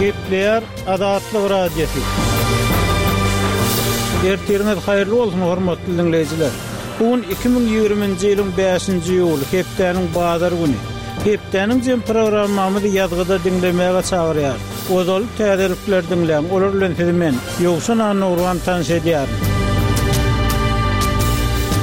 Gepleýär Azatlyk Radiosy. Ertiriňiz haýyrly bolsun, hormatly diňleýjiler! Bu gün 2020-nji ýylyň bäşinji iýuly, hepdäniň bazar güni. Hepdäniň jem programmamyzy ýazgyda diňlemäge çagyrýarys. Ozaly täzelikleri diňläň, olar bilen sizi men, Ýowşan Annagurban tanyş edýärin.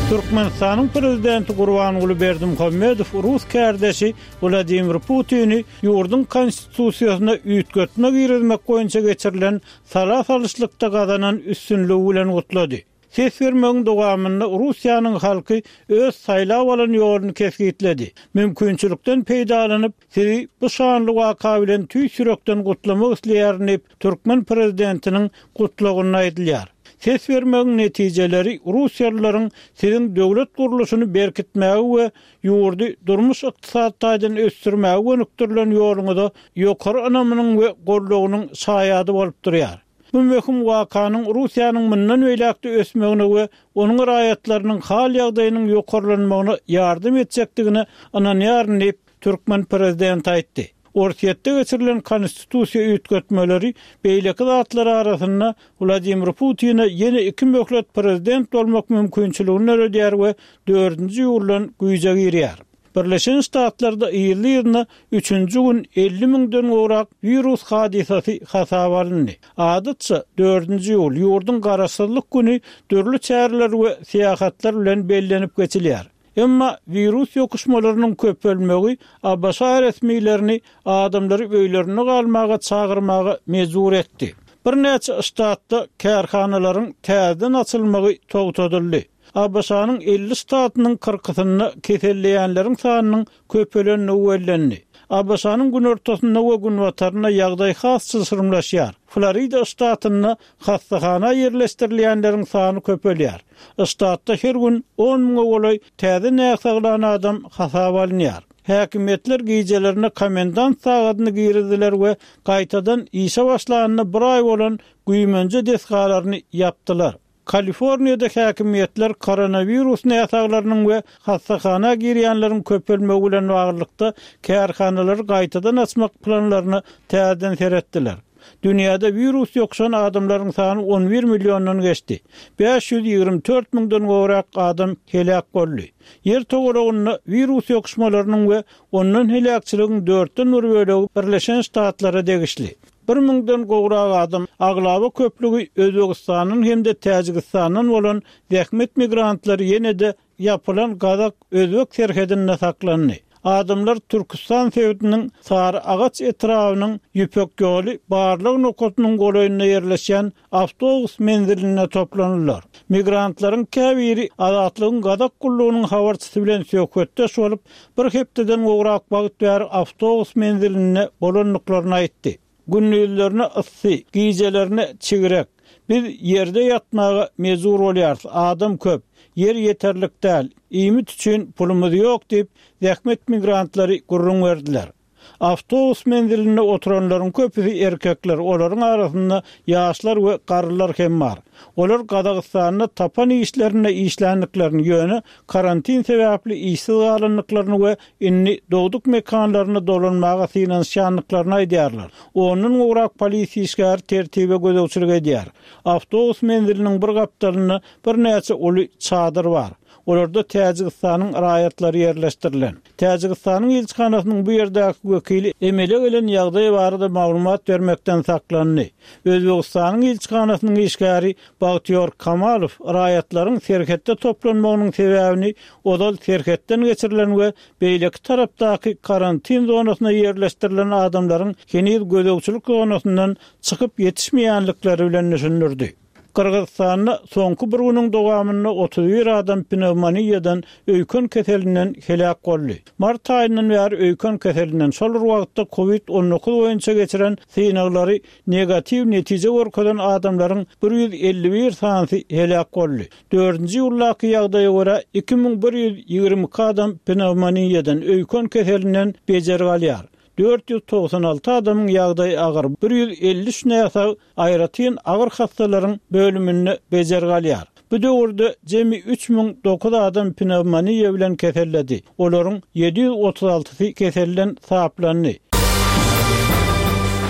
Türkmenistanyň Prezidenti Gurbanguly Berdimuhamedow rus kärdeşi Wladimir Putini ýurduň Konstitusiýasyna üýtgetme girizmek boýunça geçirilen sala salyşlykda gazanan üstünligi bilen gutlady. Ses bermegiň dowamynda Russiýanyň halky öz saýlap alan ýoluny kesgitledi. Mümkinçilikden peýdalanyp, sizi bu şanly waka bilen tüýs ýürekden gutlamak isleýärin diýip, türkmen prezidentiniň gutlagynda aýdylýar. Ses bermegiň netijeleri russiýalylaryň siziň döwlet gurluşyny berkitmäge we ýurdy durmuş-ykdysady taýdan ösdürmäge gönükdirilen ýoluňyza ýokary ynamynyň we goldawynyň şaýady bolup durýar. Bu möhüm wakanyň Russiýanyň mundan beýläk-de ösmegine we onuň raýatlarynyň hal-ýagdaýynyň ýokarlanmagyna ýardam etjekdigine ynanýaryn diýip, türkmen prezidenti aýtdy. Orsýetde geçirilen konstitusiýa üýtgetmeleri beýleki zatlar arasynda Wladimir Putine ýene iki möhlet prezident bolmak mümkinçiligini döredýär we dördünji iýuldan güýje girýär. Birleşen Ştatlarda yzly-yzyna üçünji gün 50 müňden gowrak wirus hadysasy hasaba alyndy. Adatça, dördünji iýul, ýurduň Garaşsyzlyk güni dürli çäreler we syýahatlar bilen bellenip geçilýär. Emma wirus ýokuşmalarynyň köpelmegi ABŞ resmilerini adamlary öýlerinde galmaga çagyrmaga mejbur etdi. Birnäçe ştatda kärhanalaryň täzeden açylmagy togtadyldy. ABŞ-nyň 50 ştatynyň kyrkysynda keselleýänleriň sanynyň köpelendigi bellendi. ABŞ-nyň günortasynda we günbatarynda ýagdaý has çylşyrymlaşýar. Florida ştatynda hassahana ýerleşdirilýänleriň sany köpelýär. Ştatda her gün on müňe golaý täze näsaglan adam hasaba alynýar. Häkimiýetler gijelerine komendant sagadyny girizdiler we gaýtadan işe başlanyna bir aý bolan güýmenje desgalaryny ýapdylar. Kaliforniýada häkimiýetler koronawirus näsaglarynyň we hassahana girýänleriň köpelmegi bilen baglylykda kärhanalary gaýtadan açmak planlaryna täzeden seretdiler. Dünýäde wirus ýokuşan adamlaryň sany on bir milliondan geçdi. 524 müňden gowrak adam heläk boldy. Ýer togalagynda wirus ýokuşmalarynyň we ondan heläkçiligiň dörtden bir bölegi Birleşen Ştatlara degişli. Bir müňden gowrak adam, aglaba köplügi Özbegistandan hem-de Täjigistandan bolan zähmet migrantlary ýene-de ýapylan gazak-özbek serhedinde saklandy. Adamlar Türküstan sebitiniň Sary-Agaç etrabynyň Ýüpek ýoly barlag nokatynyň golaýynda ýerleşýän awtobus menzilinde toplandylar. Migrantlaryň käbiri Azatlygyň Gazak gullugynyň habarçysy bilen söhbetdeş bolup, bir hepdeden gowrak wagt bäri awtobus menzilinde bolandyklaryny aýtdy. Gündizlerine yssy, gijelerine çigrek. Biz ýerde ýatmaga mejbur bolýarys, adam köp, ýer ýeterlik däl, iýmit üçin pulumyz ýok diýip, zähmet migrantlary gürrüň berdiler. Awtobus menzilinde oturanlaryň köpüsi erkekler, olaryň arasynda ýaşlar we garrylar hem bar. Olar Gazagystanda tapan işlerinde işländiklerini, ýöne karantin sebäpli işsiz galandyklaryny we indi dogduk mekanlaryna dolanmaga synanyşýandyklaryny aýdýarlar. Ondan gowrak polisiýa işgäri tertibe gözegçilik edýär. Awtobus menziliniň bir gapdalynda birnäçe uly çadyr bar. Olarda Täjigistanyň raýatlary ýerleşdirilen. Täjigistanyň ilçihanasynyň bu ýerdäki wekili emele gelen ýagdaý barada maglumat bermekden saklandy. Özbegistanyň ilçihanasynyň işgäri Bagtyýor Kamalow raýatlaryň serhetde toplanmagynyň sebäbini ozal serhetden geçirilen we beýleki tarapdaky karantin zonasyna ýerleşdirilen adamlaryň heniz gözegçilik zonasyndan çykyp ýetişmeýänlikleri bilen düşündirdi. Gyrgyzystanda soňky bir günüň dowamynda 31 adam pnewmoniýadan, öýken keselinden heläk boldy. Mart aýyndan bäri öýken keselinden, şol bir wagtda Covid 19 boýunça geçiren synaglary negatiw netije görkezen adamlaryň 151 sanysy heläk boldy. Dördünji iýuldaky ýagdaýa görä, 2122 adam pnewmoniýadan, öýken keselinden bejergi alýar. 496 adamyň ýagdaýy agyr, 153 näsag aýratyn agyr hassalaryň bölüminde bejergi alýar. Bu döwürde jemi 3009 adam pnewmoniýa bilen keselledi. Olaryň 736-sy keselden saplandy.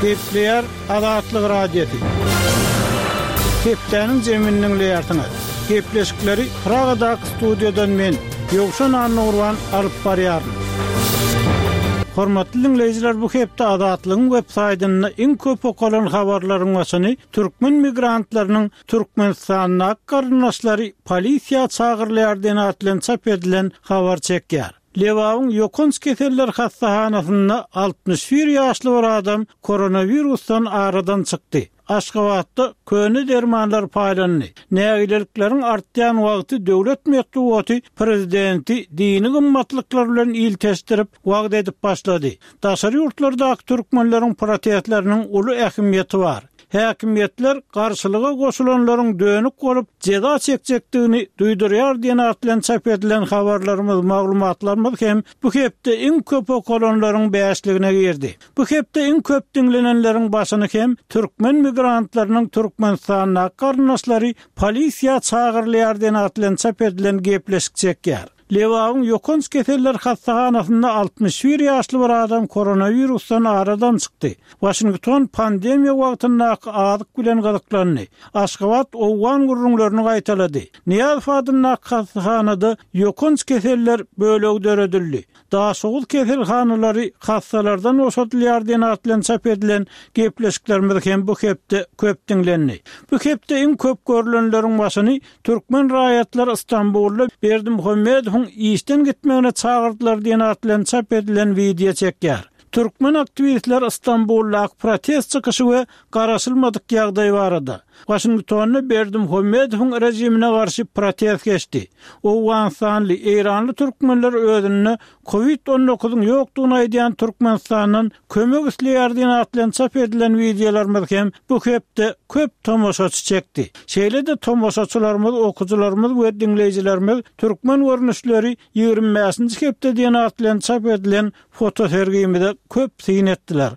Gepleýär Azatlyk Radiosy. Hepdäniň jemini diňleýärsiňiz. Gepleşikleri Pragadaky studiýadan men, Ýowşan Annagurban alyp barýaryn. Hormatly diňleýjiler bu hepde Azatlygyň web saýtynda iň köp okalan habarlaryň başyny türkmen migrantlarynyň Türkmenistandaky garyndaşlary polisiýa çagyrylýar diýen at bilen çap edilen habar çekýär. Lebabyň ýokanç keseller hassahanasynda 61 ýaşly bir adam koronawirusdan aradan çykdy. Aşgabatda köne dermanlar paýlandy. Nägilelikleriň artýan wagty döwlet metbugaty prezidenti dini gymmatlyklar bilen ilteşdirip, wagyz edip başlady. Daşary ýurtlardaky türkmenleriň protestleriniň uly ähmiýeti bar. Häkimiýetler garşylyga goşulanlaryň dönük bolup, jeza çekjekdigini duýdurýar diýen at bilen çap edilen habarlarymyz, maglumatlarymyz hem bu hepde iň köp okalanlaryň bäşligine girdi. Bu hepde iň köp diňlenenleriň başyny hem türkmen migrantlarynyň Türkmenistandaky garyndaşlary polisiýa çagyrylýar diýen at bilen çap edilen gepleşik çekýär. Lebabyň ýokanç keseller hassahanasynda 61 ýaşly bir adam koronawirusdan aradan çykdy. Waşington pandemiýa wagtyndaky azyk bilen gyzyklandy. Aşgabat owgan gürrüňlerini gaýtalady. Nyýazow adyndaky hassahanada ýokanç keseller bölegi döredildi. Daşoguz keselhanalary hassalardan boşadylýar diýen at bilen çap edilen gepleşiklerimiz hem bu hepde köp diňlendi. Bu hepde iň köp görlenleriň başyny türkmen raýatlary Stambulda Berdimuhamedowyň işden gitmegine çagyrdylar diýen at bilen çap edilen wideo çekýär. Türkmen aktiwistleri Stambuldaky protest çykyşy we garaşylmadyk ýagdaý barada, Waşingtonda Berdimuhamedowyň režimine garşy protest geçdi. Owganystanly, eýranly türkmenler özünde Covid on dokuzyň ýokdugyny aýdýan Türkmenistandan kömek isleýär diýen at bilen çap edilen wideolarymyz hem bu hepde köp tomaşaçy çekdi. Şeýle-de tomaşaçylarymyz, okyjylarymyz we diňleýjilerimiz Türkmen görnüşleri 25-nji hepde diýen at bilen çap edilen Fotosergimize köp syn etdiler.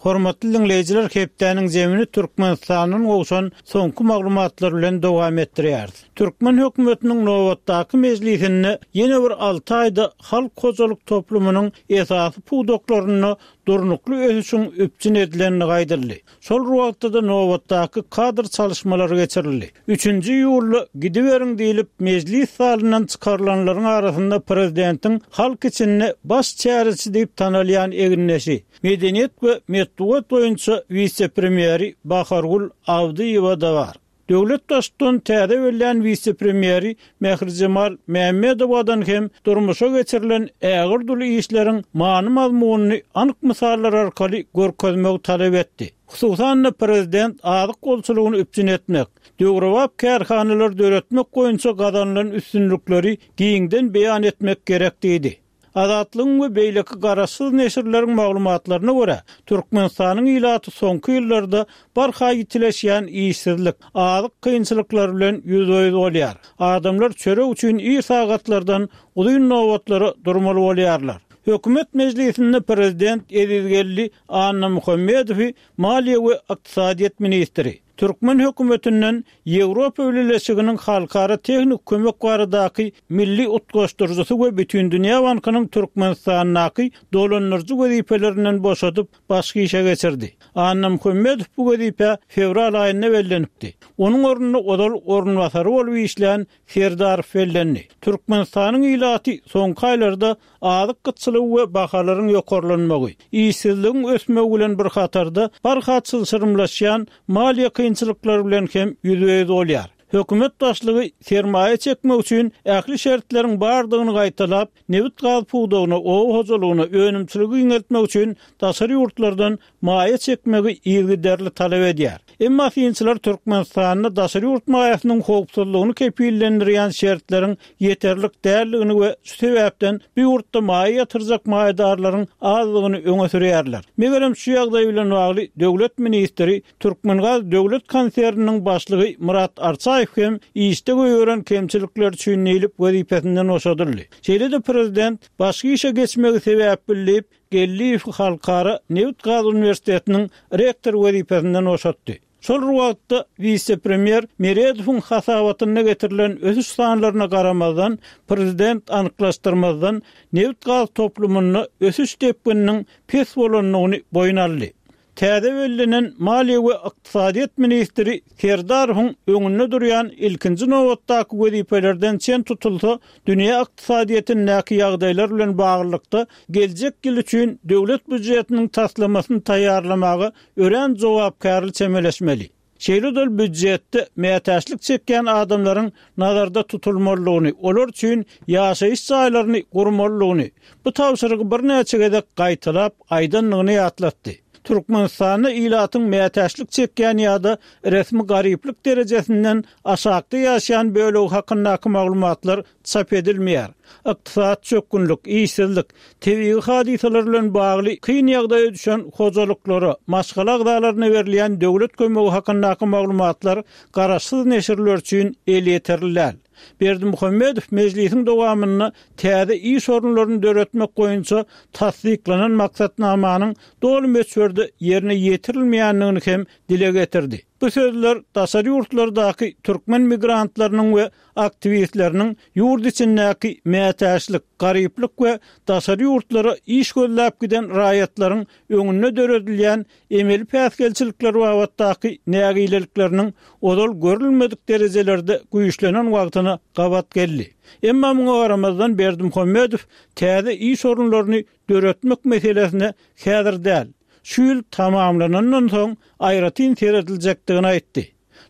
Hormatly diňleýjiler hepdäniň zemini Türkmenistandan gowşan soňky maglumatlar bilen dowam etdirýäris. Türkmen hökümetiniň nobatdaky mejlisinde ýene bir alty aýda halk hojalyk toplumynyň esasy pudaklarynda durnukly ösüşiň üpjün edilendigi aýdyldy. Şol bir wagtda-da nobatdaky kadr çalyşmalary geçirildi. Üçünji iýulda gidiberiň diýlip, mejlis zalyndan çykarylanlaryň arasynda prezidentiň halk içinde baş çäreçi diýip tanalýan egindeşi, medeniýet we metbugat boýunça wise-premýeri Bahargül Abdyýewa-da bar. Döwlet Baştutany täze bellän wise-premýeri Mährijemal Mämmedowadan hem durmuşa geçirilen ägirt uly işleriň many-mazmunyny anyk mysallar arkaly görkezmegi talap etdi. Hususan-da, prezident azyk bolçulygyny üpjün etmek, döwrebap kärhanalary döretmek boýunça gazanylan üstünlikleri giňden beýan etmek gerek diýdi. Azatlygyň we beýleki garaşsyz neşirleriň maglumatlaryna görä, Türkmenistanyň ilaty soňky ýyllarda barha ýitileşýän işsizlik, azyk kynçylyklary bilen ýüzbe-ýüz bolýar. Adamlar çörek üçin ir sagatlardan uzyn nobatlara durmaly bolýarlar. Hökümet mejlisinde prezident Ezizgeldi Annamuhammedowy maliýe we ykdysadyýet ministri, Türkmen hökümetinden Ýewropa Bileleşiginiň halkara tehniki kömek baradaky milli utgaşdyryjysy we Bütindünýä bankynyň Türkmenistandaky dolandyryjy wezipelerinden boşadyp, başga işe geçirdi. Annamuhammedow bu wezipä fewral aýynda bellenipdi. Onuň ornuna ozal orunbasary bolup işlän Serdarow bellendi. Türkmenistanyň ilaty soňky aýlarda azyk gytçylygy we bahalaryň ýokarlanmagy, işsizligiň ösmegi bilen bir hatarda barha çylşyrymlaşýan maliýe kynçylyklary bilen hem ýüzbe-ýüz bolýar. Hökümet başlygy sermaýa çekmek üçin ähli şertleriň bardygyny gaýtalap, nebit-gaz pudagyna, oba hojalygyna, önümçiligi giňeltmek üçin daşary ýurtlardan maýa çekmegi yzygiderli talap edýär. Emma synçylar Türkmenistanda daşary ýurt maýasynyň howpsuzlygyny kepillendirýän şertleriň ýeterlik däldigini we şu sebäpden bu ýurtda maýa ýatyrjak maýadarlaryň azdygyny öňe sürýärler. Megerem şu ýagdaý bilen bagly döwlet ministri, Türkmengaz döwlet konserniniň başlygy Myrat Arçaýew hem işde goýberen kemçilikleri üçin diýlip wezipesinden boşadyldy. Şeýle-de prezident başga işe geçmegi sebäp bildiýip, Geldiýewi Halkara nebit-gaz uniwersitetiniň rektory wezipesinden boşatdy. Şol bir wagtda, wise-premýer Meredowyň hasabatynda getirilen ösüş sanlaryna garamazdan, prezident anyklaşdyrmazdan, nebit-gaz toplumynda ösüş depgininiň pes bolandygyny boýun aldy. Täze bellenen maliýe we ykdysadyýet ministri Serdarowyň öňünde durýan ilkinji nobatdaky wezipelerden çen tutulsa, dünýä ykdysadyýetindäki ýagdaýlar bilen baglylykda geljek ýyl üçin döwlet býujetiniň taslamasyny taýýarlamaga örän jogapkärli çemeleşmeli. Şeýle-de ol býujetde mätäçlik çekýän adamlaryň nazarda tutulmalydygyny, olar üçin ýaşaýyş jaýlaryny gurmalydygyny, bu tabşyrygy birnäçe gezek gaýtalap aýdandygyny ýatlatdy. Türkmenistanda ilatyň mätäçlik çekýän ýa-da resmi garyplyk derejesinden aşakda ýaşaýan bölegi hakyndaky maglumatlar çap edilmeýär. Ykdysady çökgünlik, işsizlik, tebigy hadysalar bilen bagly kyn ýagdaýa düşen hojalyklara, maşgala agzalaryna berilýän döwlet kömegi hakyndaky maglumatlar garaşsyz neşirler üçin elýeterli däl. Berdimuhamedow mejlisiň dowamynda täze iş orunlaryny döretmek boýunça tassyklanan maksatnamanyň doly möçberde ýerine ýetirilmeýändigini hem dile getirdi. Bu sözler daşary ýurtlardaky türkmen migrantlarynyň we aktiwistleriniň ýurt içindäki mätäçlik, garyplyk we daşary ýurtlara iş gözläp giden raýatlaryň öňünde döredilýän emeli päsgelçilikler babatdaky nägilelikleriniň ozal görülmedik derejelerde güýçlenen wagtyna gabat geldi. Emma muňa garamazdan Berdimuhamedow täze iş orunlaryny döretmek meselesine häzir däl, şu ýyl tamamlanandan soň aýratyn serediljekdigini aýtdy.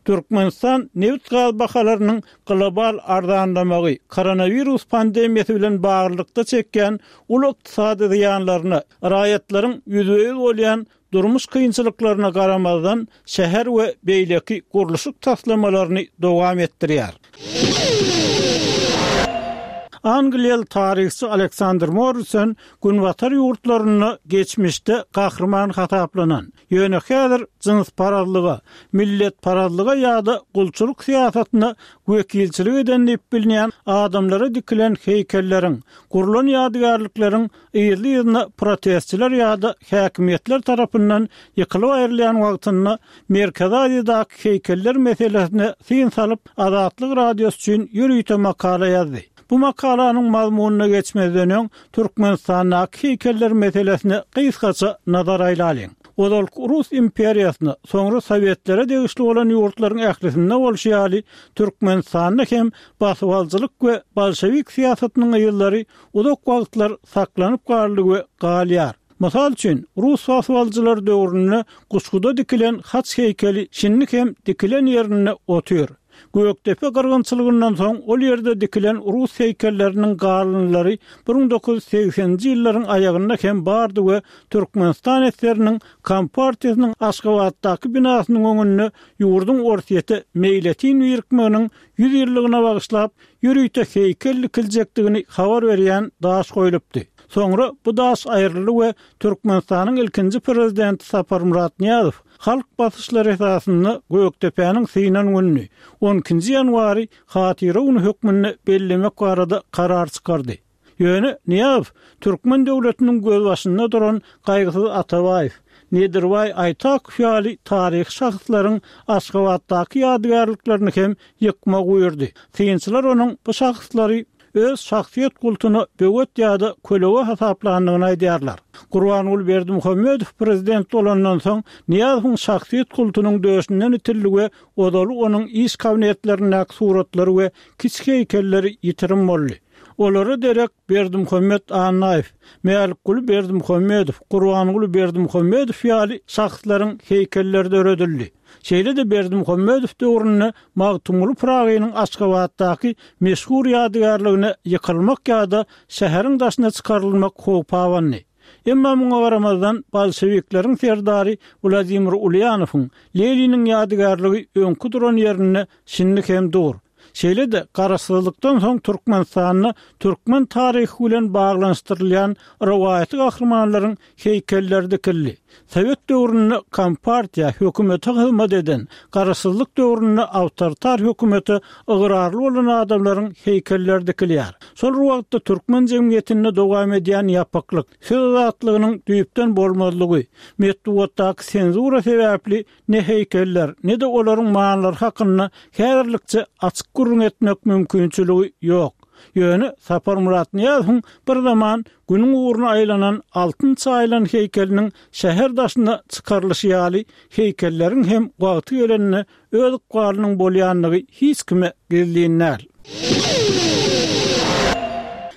Türkmenistan nebit-gaz bahalarynyň global arzanlamagy, koronawirus pandemiýasy bilen baglylykda çekýän uly ykdysady zyýanlaryna, raýatlaryň ýüzbe-ýüz bolýan durmuş kynçylyklaryna garamazdan, şäher we beýleki gurluşyk taslamalaryny dowam etdirýär. Angliýaly taryhçy Aleksandr Morrison Günbatar ýurtlarynda geçmişde gahryman hasaplanan, Ýöne häzir jynsparazlyga, milletparazlyga ýa-da gulçulyk syýasatyna wekilçilik eden diýip bilinýän adamlara dikilen heýkelleriň, gurlan ýadygärlikleriň yzly-yzyna protestçiler ýa-da häkimiýetler tarapyndan ýykylyp aýrylýan wagtynda Merkezi Aziýadaky heýkeller meselesine syn salyp, Azatlyk Radiosy üçin ýörite makala ýazdy. Bu makalanyň mazmunyna geçmezden öň, Türkmenistandaky heýkeller meselesine gysgaça nazar aýlalyň. Ozalky Rus imperiýasyna, soňra Sowetlere degişli bolan ýurtlaryň ählisinde bolşy ýaly, Türkmenistanda hem basybalyjylyk we bolşewik syýasatynyň yzlary uzak wagtlar saklanyp galdy we galýar. Mysal üçin, rus basybalyjylary döwründe Guşguda dikilen haç heýkeli şindi hem dikilen ýerinde otyr. Gökdepe gyrgynçylygyndan soň ol ýerde dikilen rus heýkelleriniň galyndylary 1980-nji ýyllaryň aýagynda hem bardy we Türkmenistan esgeriniň Kompartiýasynyň Aşgabatdaky binasynyň öňünde ýurduň Orsýete meýletin birikmeginiň 100 ýyllygyna bagyşlap ýörite heýkel dikiljekdigini habar berýän daş goýlupdy. Soňra bu daş aýryldy we Türkmenistanyň ilkinji prezidenti Saparmyrat Nyýazow Halk basyşlary esasynda Gökdepäniň synan gününi, on ikinji ýanwary Hatyra güni hökmünde bellemek barada karar çykardy. Ýöne Nyýazow türkmen döwletiniň gözbaşynda duran Gaýgysyz Atabaýew, Nedirbaý Aýtakow ýaly taryhy şahslaryň Aşgabatdaky ýadygärliklerini hem ýykmagy buýurdy. Synçylar onuň bu şahslary öz şahsyýet kultuna böwet ýa-da kölege hasaplandygyny aýdýarlar. Gurbanguly Berdimuhamedow prezident bolandan soň, Nyýazowyň şahsyýet kultunyň döşünden itildi we ozaly onuň iş kabinetlerindäki suratlary we kiçi heýkelleri ýitirim boldy. Olara derek Berdimuhamet Annaýew, Mälikguly Berdimuhamedow, Gurbanguly Berdimuhamedow ýaly şahslaryň heýkelleri döredildi. Şeýle-de Berdimuhamedow döwründe Magtymguly Pyragynyň Aşgabatdaky meşhur ýadygärligine ýykylmak ýa-da şäheriň daşyna çykarylmak howpy abandy. Emma muňa garamazdan, bolşewikleriň serdary Wladimir Ulýanowyň, Leniniň ýadygärligi öňki duran ýerinde şindi hem dur. Şeýle-de, garaşsyzlykdan soň Türkmenistanda türkmen taryhy bilen baglanyşdyrylýan rowaýaty gahrymanlaryň heýkelleri dikildi. Sowet döwründe kompartiýa, hökümete hyzmat eden, garaşsyzlyk döwründe awtoritar hökümete ygrarly bolan adamlaryň heýkelleri dikilýär. Şol bir wagtda türkmen jemgyýetinde dowam edýän ýapyklyk, söz azatlygynyň düýpden bolmazlygy, metbugatdaky senzura sebäpli ne heýkeller, ne-de olaryň manylary hakynda häzirlikçe açyk gürrüň etmek mümkinçiligi ýok. Ýöne Saparmyrat Nyýazowyň bir zaman Günüň ugruna aýlanan altyn çaýylan heýkeliniň şäher daşyna çykarylyşy ýaly heýkelleriň hem wagty gelende öz ykbalynyň bolýandygy hiç kime gizlin däl.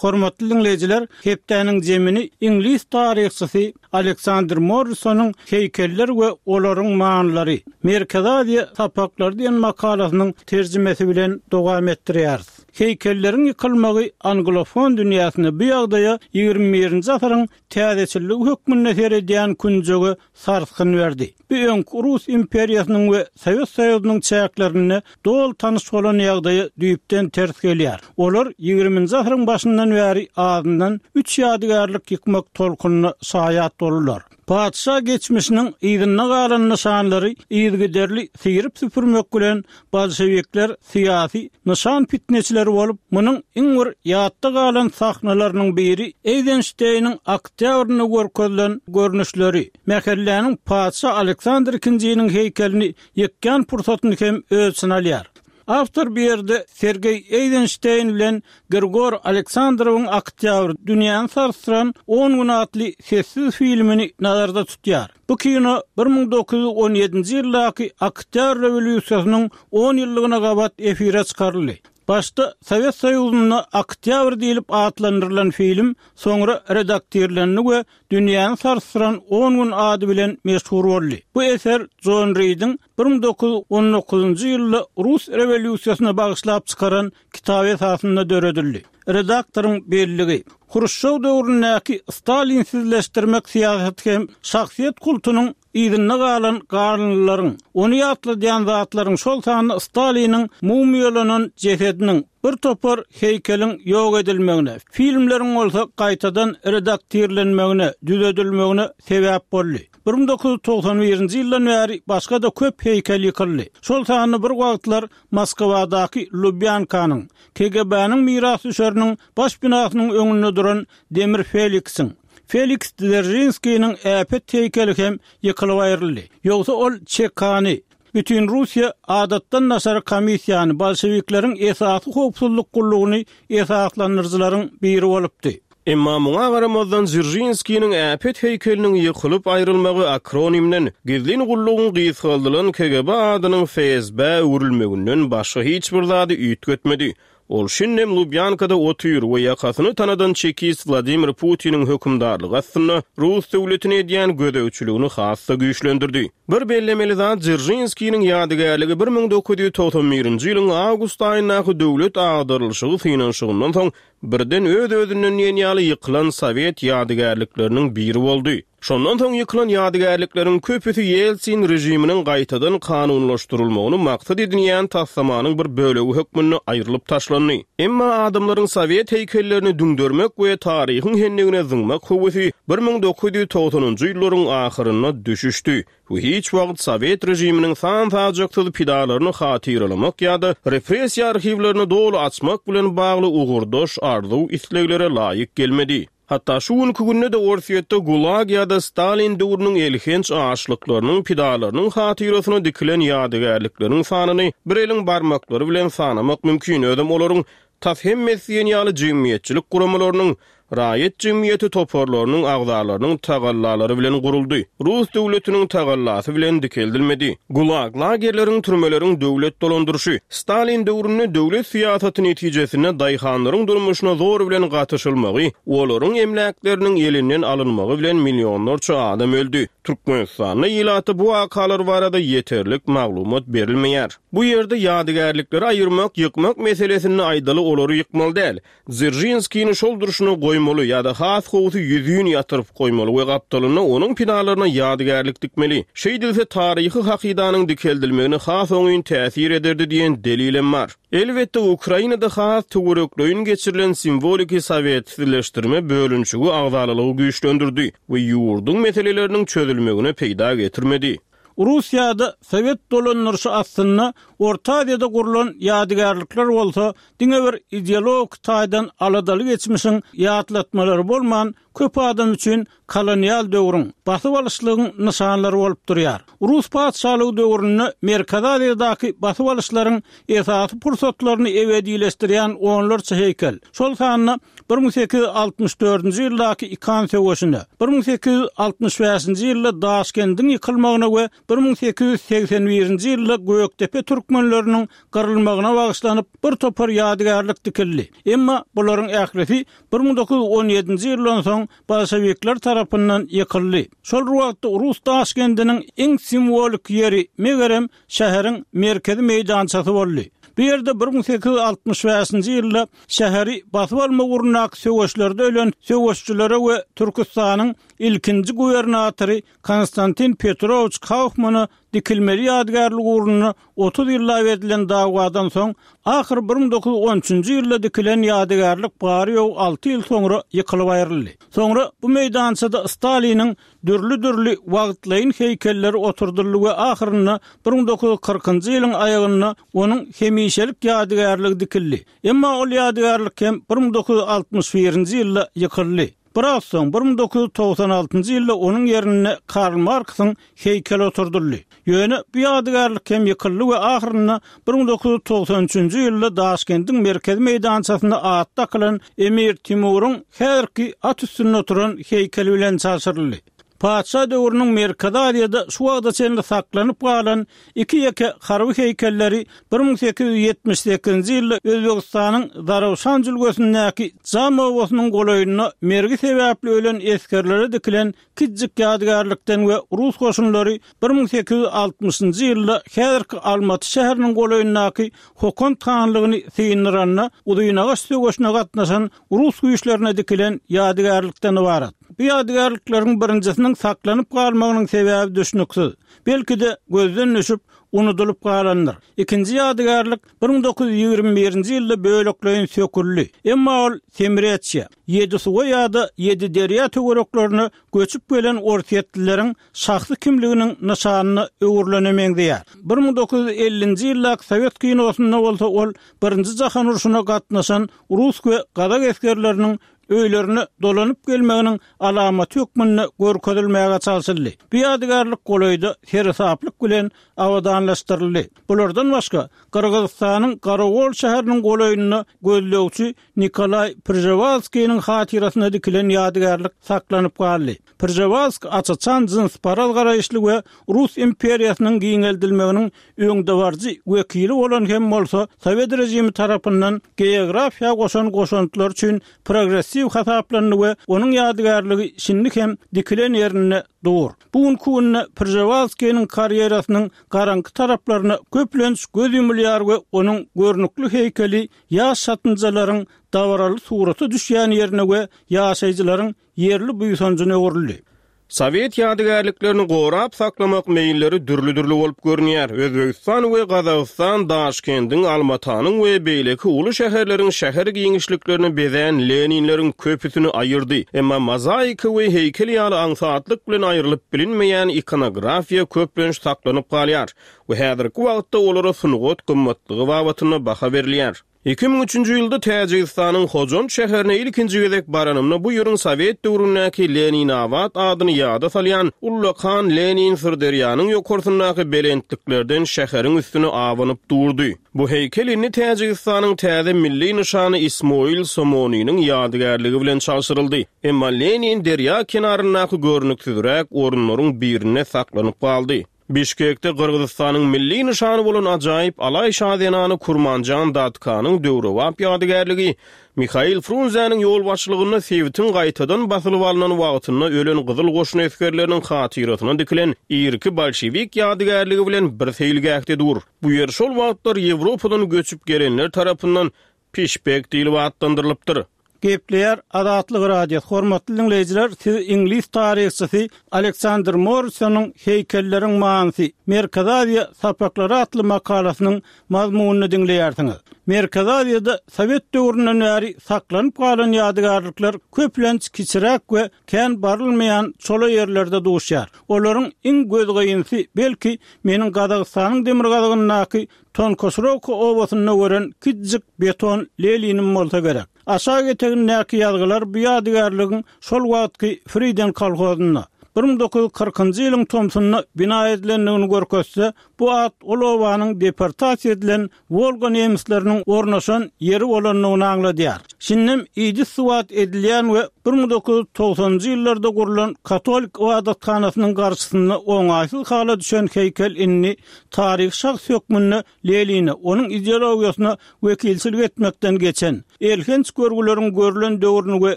Hormatly diňleýjiler, hepdäniň jemini iňlis taryhçysy Aleksandr Morrisonyň Heýkeller we olaryň manylary, Merkezi Aziýa sapaklary diýen makalasynyň terjimesi bilen dowam etdirýäris. Heýkelleriň ýykylmagy anglofon dünýäsinde bu ýagdaýa ýigrimi birinji asyryň täzeçilligi hökmünde seredýän künjege sarsgyn berdi. Bu öňki Rus imperiýasynyň we Sowet Soýuzynyň çäklerinde doly tanyş bolan ýagdaýa düýpden ters gelýär. Olar ýigriminji asyryň başyndan bäri azyndan üç ýadygärlik ýykmak tolkunyna şaýat boldular. Patyşa geçmişiniň yzynda galan nyşanlary yzygiderli syryp-süpürmek bilen bolşewikler syýasy nyşan pitneçileri bolup, munuň iň bir ýatda galan sahnalarynyň biri Eýzenşteýniň Oktýabrynda görkezilen görnüşleri, mähelläniň patyşa Aleksandr II-niň heýkelini ýykýan pursatyny hem öz içine alýar. Awtor bu ýerde Sergeý Eýzenşteýn bilen Grigor Aleksandrowyň Oktýabr, dünýäni sarsdyran on gün atly sessiz filmini nazarda tutýar. Bu kino 1917-nji ýyldaky Oktýabr rewolýusiýasynyň on ýyllygyna gabat efire çykaryldy. Başda Sowet Soýuzynda Oktýabr diýlip atlandyrylan film soňra redaktirlendi we Dünýäni sarsdyran on gün ady bilen meşhur boldy. Bu eser Jon Ridiň 1919-njy ýylda rus rewolýusiýasyna bagyşlap çykaran kitaby esasynda döredildi. Redaktoryň belligi, Hruşçow döwründäki stalinsizleşdirmek syýasaty hem şahsyýet kultunyň yzynda galan galyndylaryň, ony ýatladýan zatlaryň, şol sanda Staliniň mumyýalanan jesediniň, bir topar heýkeliň ýok edilmegine, filmleriň bolsa gaýtadan redaktirlenmegine, düzedilmegine sebäp boldy. 1991-nji ýyldan bäri başga-da köp heýkel ýykyldy. Şol sanda bir wagtlar Moskwadaky Lubýankanyň, KGB-niň mirasdüşeriniň baş binasynyň öňünde duran Demir Feliksiň, Feliks Dzeržinskiniň äpet heýkeli hem ýykylyp aýryldy. Ýogsa ol Çekany, Bütinrussiýa adatdan daşary komissiýany, bolşewikleriň esasy howpsuzlyk gullugyny esaslandyryjylaryň biri bolupdy. Emma muňa garamazdan Dzeržinskiniň äpet heýkeliniň ýykylyp aýrylmagy akronimden, gizlin gullugyň gysgaldylan KGB adynyň FSB-ä öwrülmeginden başga hiç bir zady üýtgetmedi. Ol şindem Lubýankada otyr we ýakasyny tanadan çekist Wladimir Putiniň hökümdarlygy astynda rus döwletine edýän gözegçiligini has-da güýçlendirdi. Bir bellemeli zat, Dzeržinskiniň ýadygärligi 1991-nji ýylyň awgust aýyndaky döwlet agdarylyşygy synanyşygyndan soň birden öz-özünden diýen ýaly ýykylan sowet ýadygärlikleriniň biri boldy. Şondan soň ýykylan ýadygärlikleriň köpüsi Ýeltsin režiminiň gaýtadan kanunlaşdyrylmagyny maksat edinýän taslamanyň bir bölegi hökmünde aýrylyp taşlandy. Emma adamlaryň sowet heýkellerini düňdermek we taryhyň hendigine zyňmak höwesi 1990-njy ýyllaryň ahyrynda düşüşdi we hiç wagt sowet režiminiň san-sajaksyz pidalaryny hatyralamak ýa-da repressiýa arhiwlerini doly açmak bilen bagly ugurdaş arzuw-isleglere laýyk gelmedi. Hatda şu günki günde-de Orsýetde Gulag ýa-da Stalin döwrüniň elhenç açlyklarynyň pidalarynyň hatyrasyna dikilen ýadygärlikleriň sanyny bir eliň barmaklary bilen sanamak mümkin, özem olaryň tas hemmesi diýen ýaly jemgyýetçilik guramalarynyň, raýat jemgyýeti toparlarynyň agzalarynyň tagallalary bilen guruldy, rus döwletiniň tagallasy bilen dikeldilmedi. Gulag, lagerleriň, türmeleriň döwlet dolandyryşy. Stalin döwründe döwlet syýasaty netijesinde daýhanlaryň durmuşyna zor bilen gatyşylmagy, olaryň emläkleriniň elinden alynmagy bilen millionlarça adam öldi. Türkmenistanda ilata bu wakalar barada ýeterlik maglumat berilmeýär. Bu ýerde ýadygärlikleri aýyrmak, ýykmak meselesinde aýdaly olary ýykmaly däl. Dzeržinskini şol durşuna goýup. goýmaly ýa-da has gowusy ýüzin ýatyryp goýmaly we gapdalynda onuň pidalaryna ýadygärlik dikmeli. Şeýdilse taryhy hakydanyň dikeldilmegine has oňyn täsir ederdi diýen delilem bar. Elbetde, Ukrainada has töwerekleýin geçirilen simwoliki sowetsizleşdirme bölünişigi agzalalygy güýçlendirdi we ýurduň meseleleriniň çözülmegine peýda getirmedi. Russiýada sowet dolandyryşy astynda Orta Aziýada gurlan ýadygärlikler bolsa diňe bir ideologik taýdan aladaly geçmişiň ýatlatmalary bolman, köp adam üçin kolonial döwrüň, basyp alyşlygyň nyşanlary bolup durýar. Rus patyşalygy döwründe Merkezi Aziýadaky basyp alyşlaryň esasy pursatlaryny ebedileşdirýän onlarça heýkel, şol sanda 1864-nji ýyldaky Ikan söweşine, 1865-nji ýylda Daşkendiň ýykylmagyna we 1881-nji ýylda Gökdepe türkmenleriniň gyrylmagyna bagyşlanyp bir topar ýadygärlik dikildi. Emma bularyň ählisi 1917-nji ýyldan soň bolşewikler tarapyndan ýykyldy. Şol bir wagtda rus Daşkendiniň iň simwolik ýeri, megerem, şäheriň merkezi meýdançasy boldy. Bu ýerde 1865-nji ýylda şäheri basyp almak ugrundaky söweşlerde ölen söweşçilere we Türküstanyň ilkinji gubernatory Konstantin Petrowiç Kaufmana dikilmeli ýadygärlik ugrunda 30 ýyllap edilen dawadan soň, ahyry 1913-nji ýylda dikilen ýadygärlik bary-ýogy alty ýyl soňra ýykylyp aýryldy. Soňra bu meýdançada Staliniň dürli-dürli wagtlaýyn heýkelleri oturdyldy we ahyrynda 1940-njy ýylyň aýagynda onuň hemişelik ýadygärligi dikildi. Emma ol ýadygärlik hem 1961-nji ýylda ýykyldy. Biraz soň, 1996-njy ýylda onuň ýerinde Karl Marksyň heýkeli oturdyldy. Ýöne bu ýadygärlik hem ýykyldy we ahyrynda 1993-nji ýylda Daşkendiň merkezi meýdançasynda ady dakylan Emir Timuryň häzirki at üstünde oturan heýkeli bilen çalşyryldy. Patyşa döwrüniň Merkezi Aziýada şu wagta çenli saklanyp galan iki-ýeke harby heýkelleri 1878-nji ýylda Özbegistanyň Zarafşan jülgesindäki Jam obasynyň golaýynda mergi sebäpli ölen esgerlere dikilen kiçijik ýadygärlikden we rus goşunlary 1860-njy ýylda häzirki Almaty şäheriniň golaýyndaky Hokand hanlygyny syndyranda Uzynagaç söweşine gatnaşan rus güýçlerine dikilen ýadygärlikden ybarat. Bu ýadygärlikleriň birinjisiniň saklanyp galmagynyň sebäbi düşnüksiz. Belki-de, gözden düşüp, unudylyp galandyr. Ikinji ýadygärlik 1921-nji ýylda bölekleýin söküldi. Emma ol Semreçýä, Ýedisuwa ýa-da Ýediderýa töwereklerine göçüp gelen orsýetlileriň şahsy kimliginiň nyşanyna öwrülene meňzeýär. 1950-nji ýyldaky sowet kinosynda bolsa ol Birinji jahan urşuna gatnaşan rus we gazak esgerleriniň öýlerine dolanyp gelmeginiň alamaty hökmünde görkezilmäge çalşyldy. Bu ýadygärlik golaýda seresaplyk bilen abadanlaşdyryldy. Bulardan başga, Gyrgyzystanyň Garagol şäheriniň golaýynda gözlegçi Nikolaý Pržewalskiniň hatyrasyna dikilen ýadygärlik saklanyp galdy. Pržewalsk aç-açan jynsparaz garaýyşly we Rus imperiýasynyň giňeldilmeginiň öňdebaryjy wekili bolan hem bolsa, sowet režimi tarapyndan geografiýa goşan goşantlary üçin progressiw hasaplandy we onuň ýadygärligi şindi hem dikilen ýerinde dur. Bu günki günde Pržewalskiniň karýerasynyň garaňky taraplaryna köplenç göz ýumulýar we onuň görnükli heýkeli ýaş çatynjalaryň dabaraly surata düşýän ýerine we ýaşaýjylaryň ýerli buýsanjyna öwrüldi. Sowet ýadygärliklerini gorap saklamak meýilleri dürli-dürli bolup görünýär. Özbegistan we Gazagystan Daşkendiň, Almatanyň we beýleki uly şäherleriň şäher giňişliklerini bezän Leninleriň köpüsini aýyrdy. Emma mozaika we heýkel ýaly aňsatlyk bilen aýrylyp bilinmeýän ikonografiýa köplenç saklanyp galýar we häzirki wagtda olara sungat gymmatlygy babatynda baha berilýär. 2003-nji ýylda Täjigistanyň Hojant şäherine ilkinji gezek baranymda bu ýeriň sowet döwründäki Leninabat adyny ýada salýan ullakan Lenin Syrderýanyň ýokarsyndaky belentliklerden şäheriň üstüne abanyp durdy. Bu heýkel indi Täjigistanyň täze milli nyşany Ismoil Somoniniň ýadygärligi bilen çalşyryldy. Emma Lenin derýa kenaryndaky görnüksizräk orunlaryň birinde saklanyp galdy. Bişkekde Gyrgyzystanyň milli nyşany bolan ajaýyp alaý şa zenany Kurmanjan Datkanyň döwrebap ýadygärligi Mihail Frunzäniň ýolbaşçylygynda sebitiň gaýtadan basylyp alnan wagtynda ölen Gyzyl goşun esgerleriniň hatyrasyna dikilen irki bolşewik ýadygärligi bilen bir seýilgähde dur. Bu ýer şol wagtlar Ýewropadan göçüp gelenler tarapyndan Pişbek diýlip atlandyrylypdyr. Gepleýär Azatlyk Radiosy, Hormatly diňleýjiler, siz iňlis taryhçysy Aleksandr Morrisonyň Heýkelleriň manysy, Merkezi Aziýa sapaklary atly makalasynyň mazmunyny diňleýärsiňiz. Merkezi Aziýada sowet döwründen bäri saklanyp galan ýadygärlikler köplenç kiçiräk we kän barylmaýan çola ýerlerde duşýar. Olaryň iň gözgynsy, belki, meniň Gazagystanyň demirgazygyndaky Tonkoşrowka obasynda gören kiçijik beton Leninim bolsa gerek. Aşak etegindäki ýazgylar bu ýadygärligiň şol wagtky Friden kolhozynda, 1940-njy ýylyň tomsunda bina edilendigini görkezse, bu at ol obanyň deportasiýa edilen Wolga nemisleriniň ornaşan ýeri bolandygyny aňladýar. Şindem idis-suwat edilýän we 1990-njy ýyllarda gurlan katolik ybadathanasynyň garşysynda oňaýsyz hala düşen heýkel indi taryhy şahs hökmünde Lenine, onuň ideologiýasyna wekilçilik etmekden geçen, elhenç görgüleriň görlen döwrüni we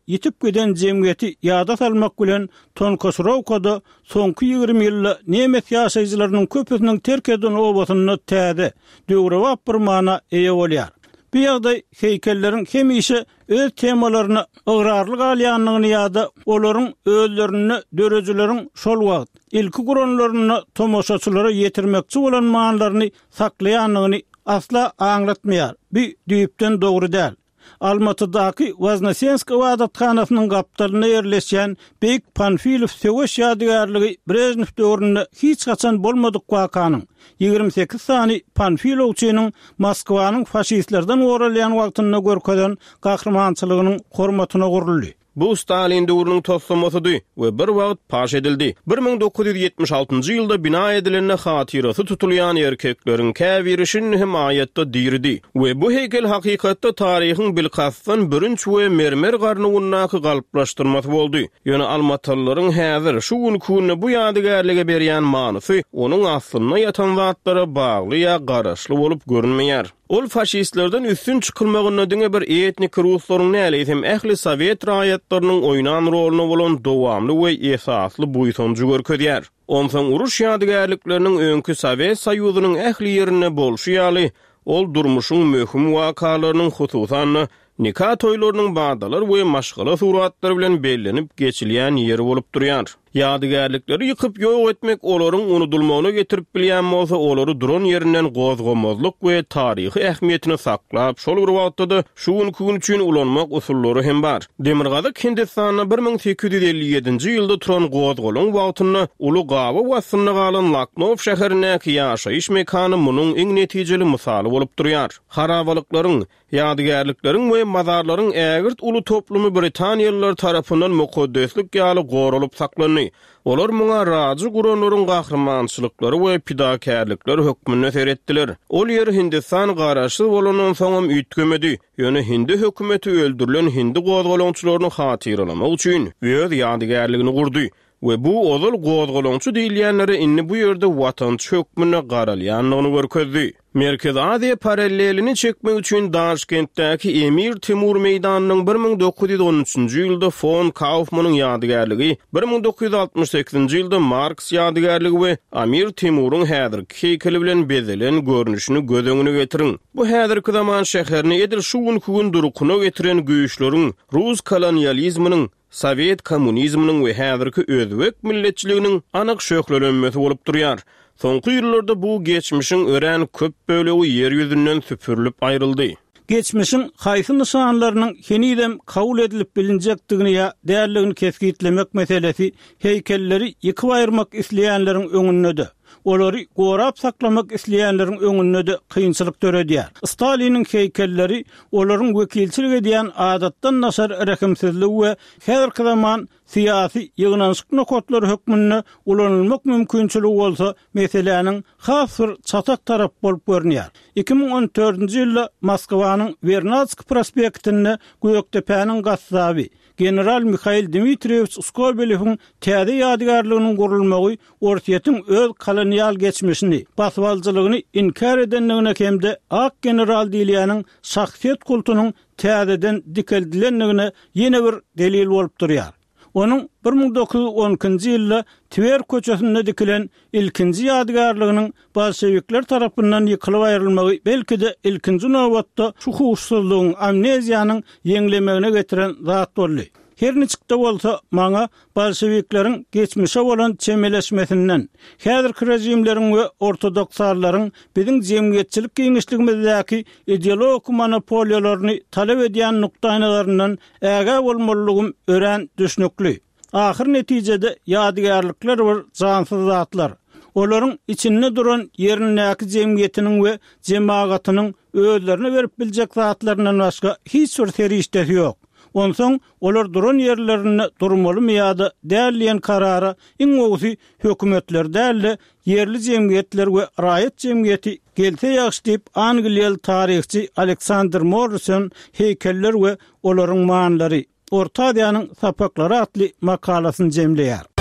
ýitip giden jemgyýeti ýada salmak bilen Tonkoşrowkada soňky 20 ýylda nemes ýaşaýjylarynyň köpüsiniň terk eden obasynda täze, döwrebap bir mana eýe bolýar. Bu ýagdaý heýkelleriň hemişe öz temalaryna ygrarly galýandygyny ýa-da olaryň özlerinde döredijileriň şol wagt, ilki guranlarynda tomaşaçylara ýetirmekçi bolan manylaryny saklaýandygyny asla aňlatmaýar. Bu düýpden dogry däl. Almatydaky Woznesensk ybadathanasynyň gapdalynda ýerleşýän Beýik Panfilow söweş ýadygärligi Brežnew döwründe hiç haçan bolmadyk wakanyň, 28 sany panfilowçynyň Moskwanyň faşistlerden goralýan wagtynda görkezen gahrymançylygynyň hormatyna guruldy. Bu Stalin döwrüniň toslamasydy we bir wagt paş edildi. 1976-njy ýylda bina edilende hatyrasy tutulýan erkekleriň käbiri şindi hem aýatda diridi we bu heýkel hakykatda taryhyň bilkastdan bürünç we mermer garnuwyndaky galplaşdyrmasy boldy. Ýöne almatalylaryň häzir, şu günki günde bu ýadygärlige berýän manysy onuň aslynda ýatan zatlara bagly ýa garaşly bolup görünmeýär. Ol faşistlerden üstün çykylmagynda diňe bir etniki ruslaryň däl, eýsem ähli sowet raýatlarynyň oýnan roluna bolan dowamly we esasly buýsanjy görkezýär. Onsoň uruş ýadygärlikleriniň öňki Sowet Soýuzynyň ähli ýerinde bolşy ýaly, ol durmuşyň möhüm wakalarynyň, hususan-da, Nika toýlarynyň badalar we maşgala suratlary bilen bellenip geçilýän ýeri bolup durýar. Ýadygärlikleri ýykyp ýok etmek olaryň unudylmagyna getirip bilýän bolsa, olary duran ýerinden gozgamazlyk we taryhy ähmiýetini saklap, şol bir wagtda-da şu günki gün üçin ulanmak usullary hem bar. Demirgazyk Hindistanda 1857-nji ýylda turan gozgalaň wagtynda uly gabaw astynda galan Laknow şäherindäki ýaşaýyş mekany munuň iň netijeli mysaly bolup durýar. Harabalyklaryň, Ýadygärlikleriň we mazarlaryň ägirt uly toplumy britaniýalylar tarapyndan mukaddeslik ýaly goralyp saklandy. Olar muňa rajy guranlaryň gahrymançylyklary we pidakärlikleri hökmünde seretdiler. Ol ýer Hindistan garaşsyz bolandan soňam üýtgemedi, ýöne hindi hökümeti öldürilen hindi gozgalaňçylaryny hatyralamak üçin öz ýadygärligini gurdy. We bu ozal gozgalaňçy diýilýänlere indi bu ýerde watançy hökmünde garalýandygyny görkezdi. Merkezi Aziýa parallelini çekmek üçin Daşkentdäki Emir Timur meýdanynyň 1913-nji ýylda fon Kaufmanyň ýadygärligi, 1968-nji ýylda Marks ýadygärligi we Amir Timuryň häzirki heýkeli bilen bezelen görnüşini göz öňüne getiriň. Bu häzirki zaman şäherini edil şu günki gün durkuna getiren güýçleriň, rus kolonializminiň, sowet kommunizminiň we häzirki özbek milletçiliginiň anyk şöhlelenmesi bolup durýar. Soňky ýyllarda bu geçmişiň örän köp bölegi ýer ýüzünden süpürilip aýryldy. Geçmişiň haýsy nyşanlarynyň henizem kabul edilip bilinjekdigini ýa däldigini kesgitlemek meselesi heýkelleri ýykyp aýyrmak isleýänleriň öňünde-de, olary gorap saklamak isleýänleriň öňünde-de kynçylyk döredýär. Staliniň heýkelleri olaryň wekilçilik edýän adatdan daşary rehimsizligi we häzirki zaman syýasy ýygnanyşyk nokatlary hökmünde ulanylmak mümkinçiligi bolsa meseläniň has bir çatak tarapy bolup görünýär. 2014-nji ýylda Moskwanyň Wernadskiý prospektinde Gökdepäniň gassaby, General Mihail Dmitriýewiç Skobelewiň täze ýadygärliginiň gurulmagy Orsýetiň öz kolonial geçmişini, basybalyjylygyny inkär edendigine hem-de ak general diýilýäniň şahsyýet kultunyň täzeden dikeldilendigine ýene bir delil bolup durýar. Onuň 1912-nji ýylda Twer köçesinde dikilen ilkinji ýadygärliginiň bolşewikler tarapyndan ýykylyp aýrylmagy belki-de ilkinji nobatda şu huşsuzlygyň, amneziýanyň ýeňlemegine getiren zat boldy. Her niçik-de bolsa, maňa bolşewikleriň geçmişe bolan çemeleşmesinden, häzirki režimleriň we ortodoksallaryň biziň jemgyýetçilik giňişligimizdäki ideologik monopoliýalaryny talap edýän nukdaýnazaryndan ägä bolmalydygym örän düşnükli. Ahyr netijede ýadygärlikler bir jansyz zatlar. Olaryň içinde duran ýerindäki jemgyýetiniň we jemagatynyň özlerine berip biljek zatlaryndan başga hiç bir serişdesi ýok. Onsoň olar duran ýerlerinde durmalymy ýa-da däl diýen karara iň gowusy hökümetler däl-de, ýerli jemgyýetler we raýat jemgyýeti gelse ýagşy diýip, angliýaly taryhçy Aleksandr Morrison Heýkeller we olaryň manylary, Orta Aziýanyň sapaklary atly makalasyny jemleýär.